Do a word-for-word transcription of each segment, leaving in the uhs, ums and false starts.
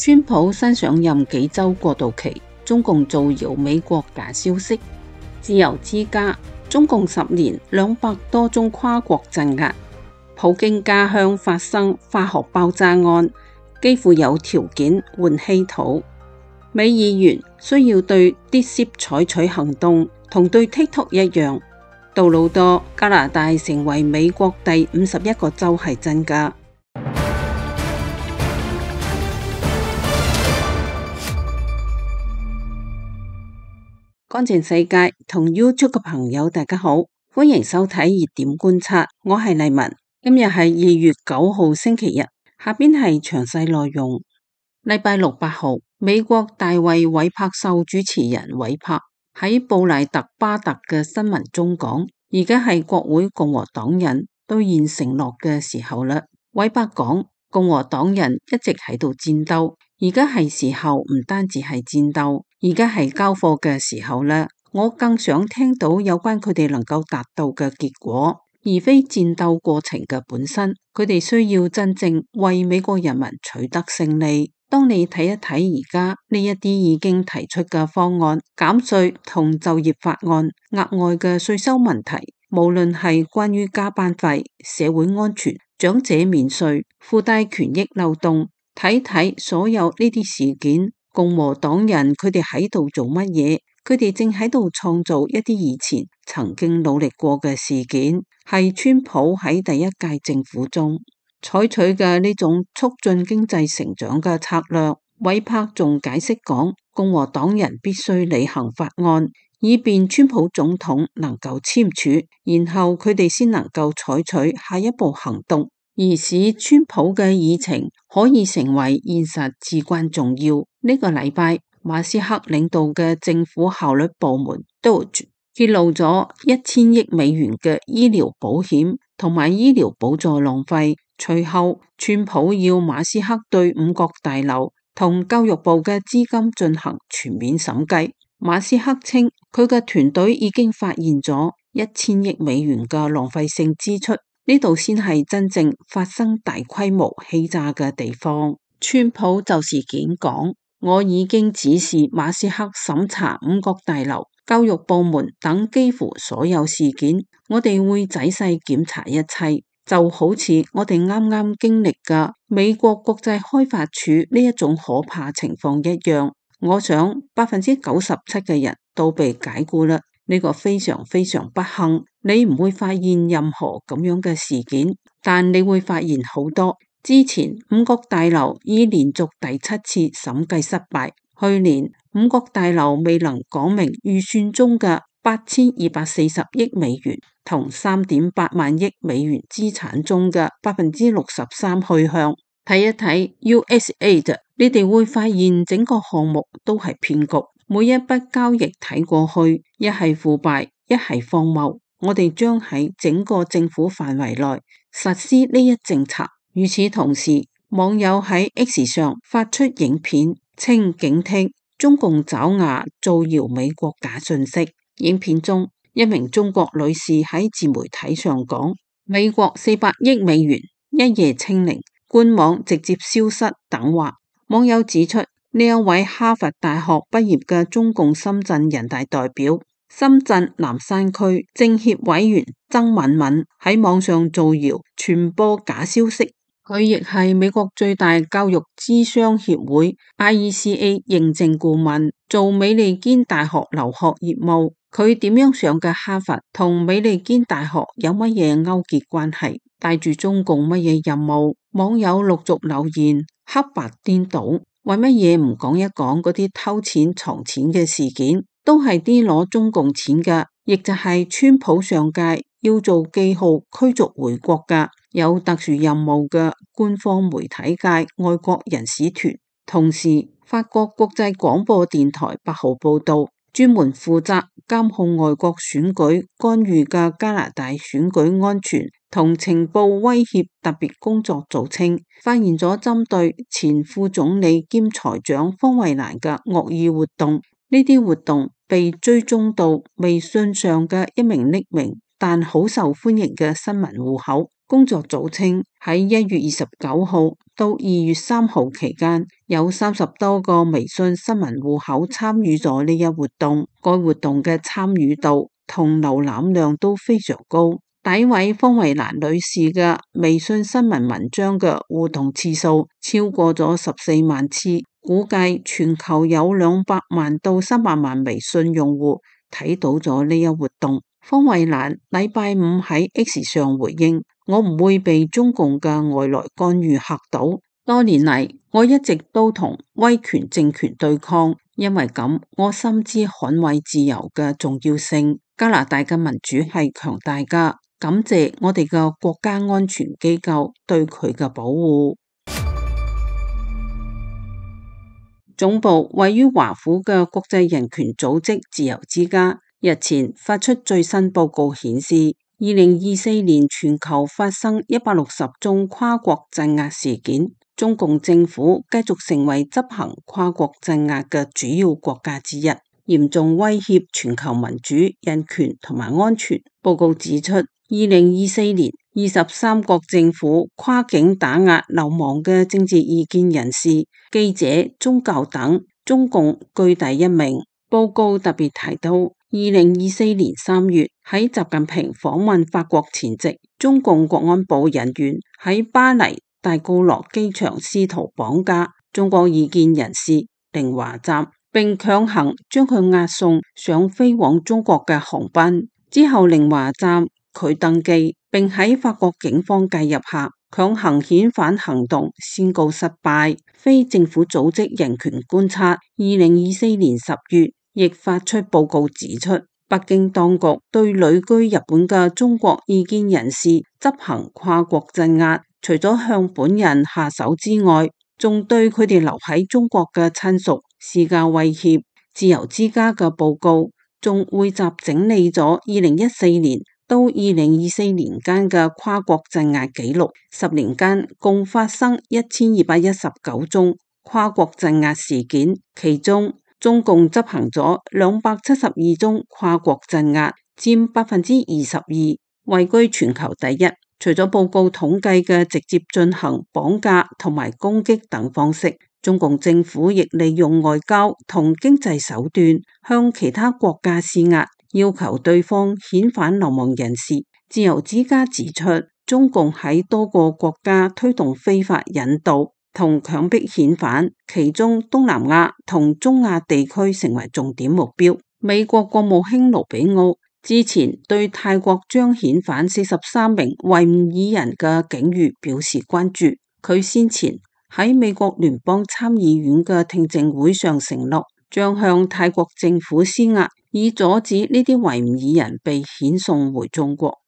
川普新上任幾週過渡期，中共造謠美國假消息。自由之家，中共十年兩百多宗跨國鎮壓，普京家鄉發生化學爆炸案，幾乎有條件換稀土。美議員需要對 DeepSeek 採取行動，同對 TikTok 一樣。杜魯多，加拿大成為美國第五十一個州係真㗎。乾淨世界同 YouTube 嘅朋友大家好，歡迎收睇熱點觀察，我係麗文。今日係二月九號星期日，下邊係詳細內容。禮拜六八號，美國大衛韋柏秀主持人韋柏喺布賴特巴特嘅新聞中講，而家係國會共和黨人兌現承諾嘅時候啦。韋柏講，共和黨人一直喺度戰鬥，而家係時候唔單止係戰鬥，而家係交貨嘅時候啦。我更想聽到有關佢哋能夠達到嘅結果，而非戰鬥過程嘅本身。佢哋需要真正為美國人民取得勝利。當你睇一睇而家呢一啲已經提出嘅方案，減稅同就業法案、額外嘅稅收問題，無論係關於加班費、社會安全、長者免稅、附帶權益漏洞，睇睇所有呢啲事件，共和黨人佢哋喺度做乜嘢？佢哋正喺度創造一啲以前曾經努力過嘅事件，係川普喺第一屆政府中採取嘅呢種促進經濟成長嘅策略。韋柏仲解釋講，共和黨人必須履行法案，以便川普總統能夠簽署，然後佢哋先能夠採取下一步行動，而使川普嘅議程可以成為現實至關重要。呢個禮拜，馬斯克領導嘅政府效率部門 Doge 揭露咗一千億美元嘅醫療保險同埋醫療補助浪費。隨後，川普要馬斯克對五角大樓同教育部嘅資金進行全面審計。馬斯克稱佢嘅團隊已經發現咗一千億美元嘅浪費性支出，呢度先係真正發生大規模欺詐嘅地方。川普就事件講，我已經指示馬斯克審查五角大樓、教育部門等幾乎所有事件，我哋會仔細檢查一切，就好似我哋啱啱經歷嘅美國國際開發署呢一種可怕情況一樣。我想百分之九十七嘅人都被解雇啦，呢個非常非常不幸。你唔會發現任何咁樣嘅事件，但你會發現好多。之前五角大樓已連續第七次審計失敗，去年五角大樓未能講明預算中嘅八千二百四十億美元同三點八萬億美元資產中嘅百分之六十三去向。睇一睇 U S A I D， 你哋會發現整個項目都係騙局，每一筆交易睇過去，一係腐敗，一係荒謬。我哋將喺整個政府範圍內實施呢一政策。與此同時，網友喺 X 上發出影片，稱警惕中共爪牙造謠美國假信息。影片中，一名中國女士喺自媒體上講，美國四百億美元一夜清零，官網直接消失等話。網友指出，呢一位哈佛大學畢業嘅中共深圳人大代表、深圳南山區政協委員曾敏敏喺網上造謠傳播假消息。佢亦係美國最大教育諮商協會 I E C A 認證顧問，做美利堅大學留學業務。佢點樣上嘅哈佛，同美利堅大學有乜嘢勾結關係？帶住中共乜嘢任務？網友陸續留言，黑白顛倒，為乜嘢唔講一講嗰啲偷錢藏錢嘅事件？都係啲攞中共錢嘅，亦就係川普上屆要做記號驅逐回國嘅有特殊任務嘅官方媒體界愛國人士團。同時，法國國際廣播電台八號報道，專門負責監控外國選舉干預嘅加拿大選舉安全同情報威脅特別工作組稱，發現咗針對前副總理兼財長方慧蘭嘅惡意活動。呢啲活動被追蹤到微信上嘅一名匿名但好受歡迎嘅新聞戶口，工作組稱喺一月二十九號到二月三號期間，有三十多個微信新聞戶口參與咗呢一活動，該活動嘅參與度同瀏覽量都非常高。第一位方慧蘭女士嘅微信新聞文章嘅互動次數超過咗十四萬次，估計全球有兩百萬到三百萬微信用戶睇到咗呢一活動。方慧蘭禮拜五喺 X 上回應：我唔會被中共嘅外來干預嚇到。多年嚟，我一直都同威權政權對抗，因為咁，我深知捍衛自由嘅重要性。加拿大嘅民主係強大㗎，感謝我哋嘅國家安全機構對佢嘅保護。總部位於華府嘅國際人權組織自由之家日前發出最新報告顯示，二零二四年全球發生一百六十宗跨國鎮壓事件，中共政府繼續成為執行跨國鎮壓嘅主要國家之一，嚴重威脅全球民主、人權同埋安全。報告指出，二零二四年二十三國政府跨境打壓流亡嘅政治異見人士、記者、宗教等，中共居第一名。報告特別提到，二零二四年三月喺習近平訪問法國前夕，中共國安部人員喺巴黎戴高樂機場試圖綁架中國異見人士寧華站，並強行將佢押送上飛往中國嘅航班。之後寧華站拒登機，並喺法國警方介入下強行遣返行動宣告失敗。非政府組織人權觀察二零二四年十月亦發出報告指出，北京當局對旅居日本嘅中國異見人士執行跨國鎮壓，除咗向本人下手之外，仲對佢哋留喺中國嘅親屬施加威脅。自由之家嘅報告仲匯集整理咗二零一四年到二零二四年間嘅跨國鎮壓記錄，十年間共發生一千二百一十九宗跨國鎮壓事件，其中中共執行咗兩百七十二宗跨國鎮壓，佔百分之二十二，位居全球第一。除咗報告統計嘅直接進行綁架同埋攻擊等方式，中共政府亦利用外交同經濟手段向其他國家施壓，要求對方遣返流亡人士。自由之家指出，中共喺多個國家推動非法引渡同強迫遣返，其中東南亞同中亞地區成為重點目標。美國國務卿盧比奧之前對泰國將遣返四十三名維吾爾人嘅境遇表示關注。佢先前喺美國聯邦參議院嘅聽證會上承諾，將向泰國政府施壓，以阻止呢啲維吾爾人被遣送回中國。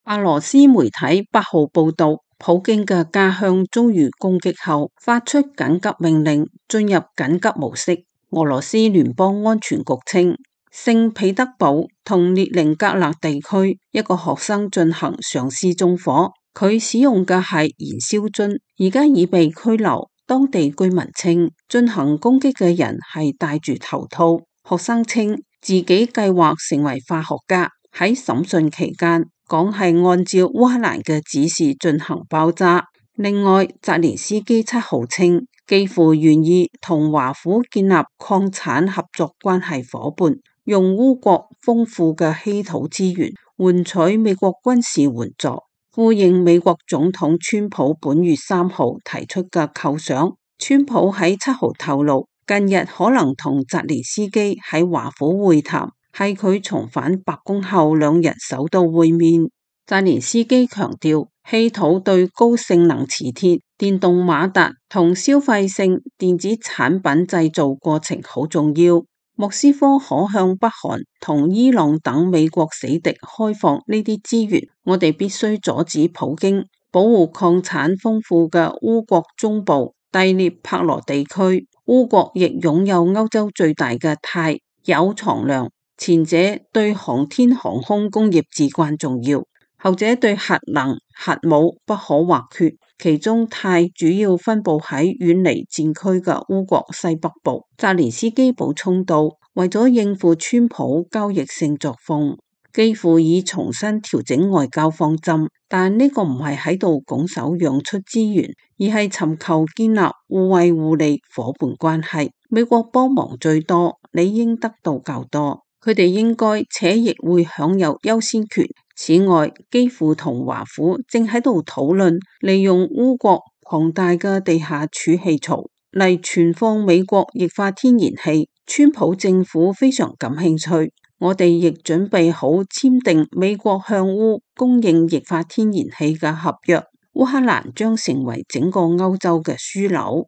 俄羅斯媒體八號報道，普京嘅家鄉遭遇攻擊後，發出緊急命令進入緊急模式。俄羅斯聯邦安全局稱，聖彼得堡同列寧格勒地區一個學生進行嘗試縱火，佢使用嘅係燃燒樽，而家已被拘留。當地居民稱，進行攻擊嘅人係戴住頭套。學生稱自己計劃成為化學家，喺審訊期間講係按照烏克蘭嘅指示進行爆炸。另外，澤連斯基七號稱，幾乎願意同華府建立礦產合作關係夥伴，用烏國豐富嘅稀土資源換取美國軍事援助，呼應美國總統川普本月三號提出嘅構想。川普喺七號透露，近日可能同澤連斯基喺華府會談，係佢重返白宮後兩人首度會面。澤連斯基強調，稀土對高性能磁鐵、電動馬達同消費性電子產品製造過程好重要。莫斯科可向北韓同伊朗等美國死敵開放呢啲資源，我哋必須阻止普京保護礦產豐富嘅烏國中部第聶伯羅地區。烏國亦擁有歐洲最大嘅鈦鈾藏量，前者對航天航空工業至關重要，後者對核能核武不可或缺。其中鈦主要分布喺遠離戰區嘅烏國西北部。澤連斯基補充道，為咗應付川普交易性作風，幾乎已重新調整外交方針，但呢個唔係喺度拱手讓出資源，而係尋求建立互惠互利夥伴關係。美國幫忙最多，理應得到較多，佢哋應該且亦會享有優先權。此外，基輔同華府正喺度討論利用烏國龐大嘅地下儲氣槽嚟存放美國液化天然氣。川普政府非常感興趣，我哋亦準備好簽訂美國向烏供應液化天然氣嘅合約。烏克蘭將成為整個歐洲嘅樞紐。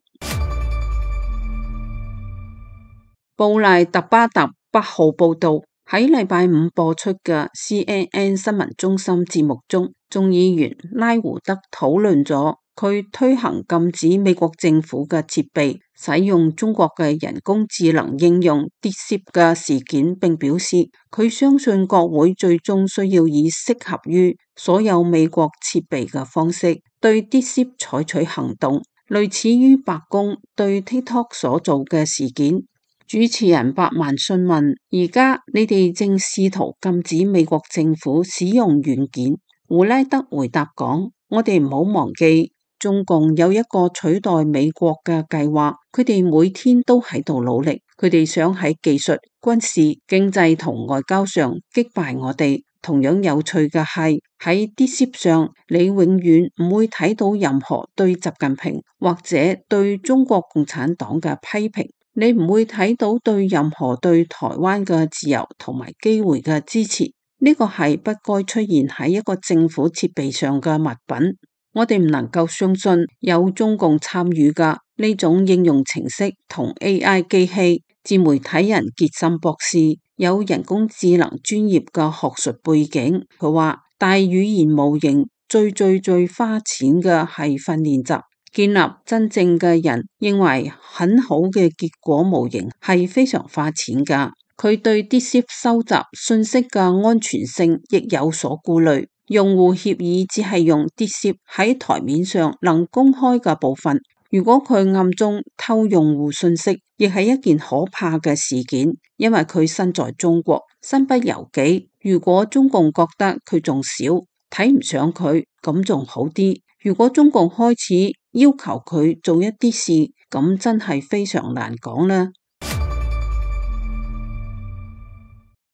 布賴特巴特八號報道，喺禮拜五播出嘅 C N N 新聞中心節目中，眾議員拉胡德討論咗佢推行禁止美國政府嘅設備使用中國嘅人工智能應用 DeepSeek 嘅事件，並表示佢相信國會最終需要以適合於所有美國設備嘅方式對 DeepSeek 採取行動，類似於白宮對 TikTok 所做嘅事件。主持人百萬詢問：而家你哋正試圖禁止美國政府使用軟件？胡拉德回答講：我哋唔好忘記。中共有一個取代美國嘅計劃，佢哋每天都喺度努力，佢哋想喺技術、軍事、經濟同外交上擊敗我哋。同樣有趣嘅係，喺 DeepSeek 上，你永遠唔會睇到任何對習近平或者對中國共產黨嘅批評，你唔會睇到對任何對台灣嘅自由同埋機會嘅支持。呢個係不該出現喺一個政府設備上嘅物品。我哋唔能夠相信有中共參與嘅呢種應用程式同 A I 機器。自媒體人傑森博士有人工智能專業嘅學術背景，佢話大語言模型最最最花錢嘅係訓練集，建立真正嘅人認為很好嘅結果模型係非常花錢㗎。佢對 DeepSeek 收集信息嘅安全性亦有所顧慮。用戶協議只係用 DeepSeek 喺台面上能公開嘅部分，如果佢暗中偷用戶信息，亦係一件可怕嘅事件，因為佢身在中國，身不由己。如果中共覺得佢仲少，睇唔上佢，咁仲好啲。如果中共開始要求佢做一啲事，咁真係非常難講啦。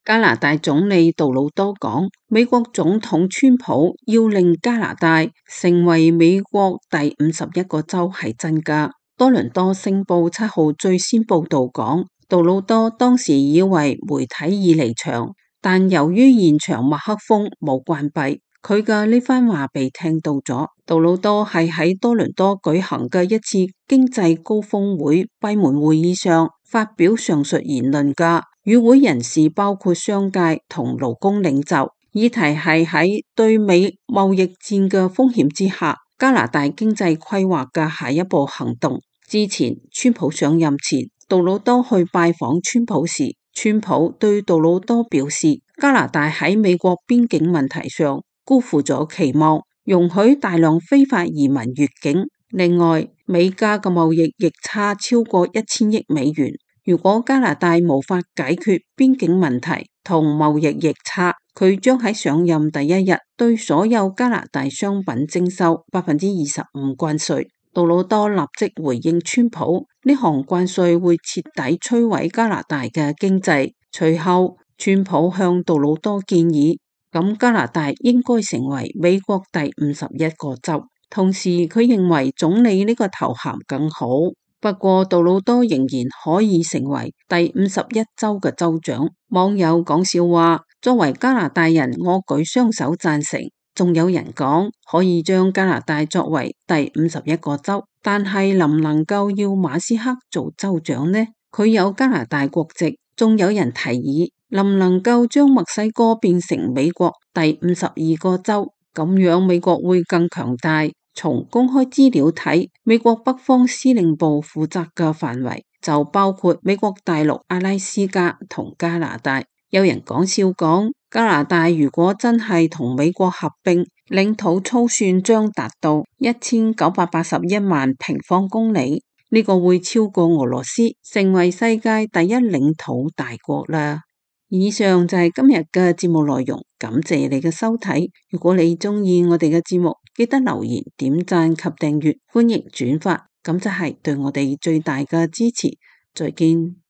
加拿大總理杜魯多講，美國總統川普要令加拿大成為美國第五十一個州係真㗎。多倫多星報七號最先報道講，杜魯多當時以為媒體已離場，但由於現場麥克風冇關閉，佢嘅呢番話被聽到咗。杜魯多係喺多倫多舉行嘅一次經濟高峰會閉門會議上發表上述言論㗎。與會人士包括商界同勞工領袖，議題係喺對美貿易戰嘅風險之下，加拿大經濟規劃嘅下一步行動。之前川普上任前，杜魯多去拜訪川普時，川普對杜魯多表示，加拿大喺美國邊境問題上辜負咗期望，容許大量非法移民越境。另外，美加嘅貿易逆差超過一千億美元。如果加拿大無法解決邊境問題同貿易逆差，佢將喺上任第一日對所有加拿大商品徵收百分之二十五關稅。杜魯多立即回應川普，呢項關稅會徹底摧毀加拿大嘅經濟。隨後，川普向杜魯多建議，咁加拿大應該成為美國第五十一個州。同時，佢認為總理呢個頭銜更好。不過，杜魯多仍然可以成為第五十一州嘅州長。網友講笑話，作為加拿大人，我舉雙手贊成。仲有人講可以將加拿大作為第五十一個州，但係能唔能夠要馬斯克做州長呢？佢有加拿大國籍。仲有人提議，能唔能夠將墨西哥變成美國第五十二個州？咁樣美國會更強大。從公開資料睇，美國北方司令部負責嘅範圍就包括美國大陸、阿拉斯加同加拿大。有人講笑講，加拿大如果真係同美國合併，領土粗算將達到一千九百八十一萬平方公里，呢個會超過俄羅斯，成為世界第一領土大國啦。以上就係今日嘅節目內容，感謝你嘅收睇。如果你鍾意我哋嘅節目，記得留言、點讚及訂閱，歡迎轉發，咁就係對我哋最大嘅支持。再見。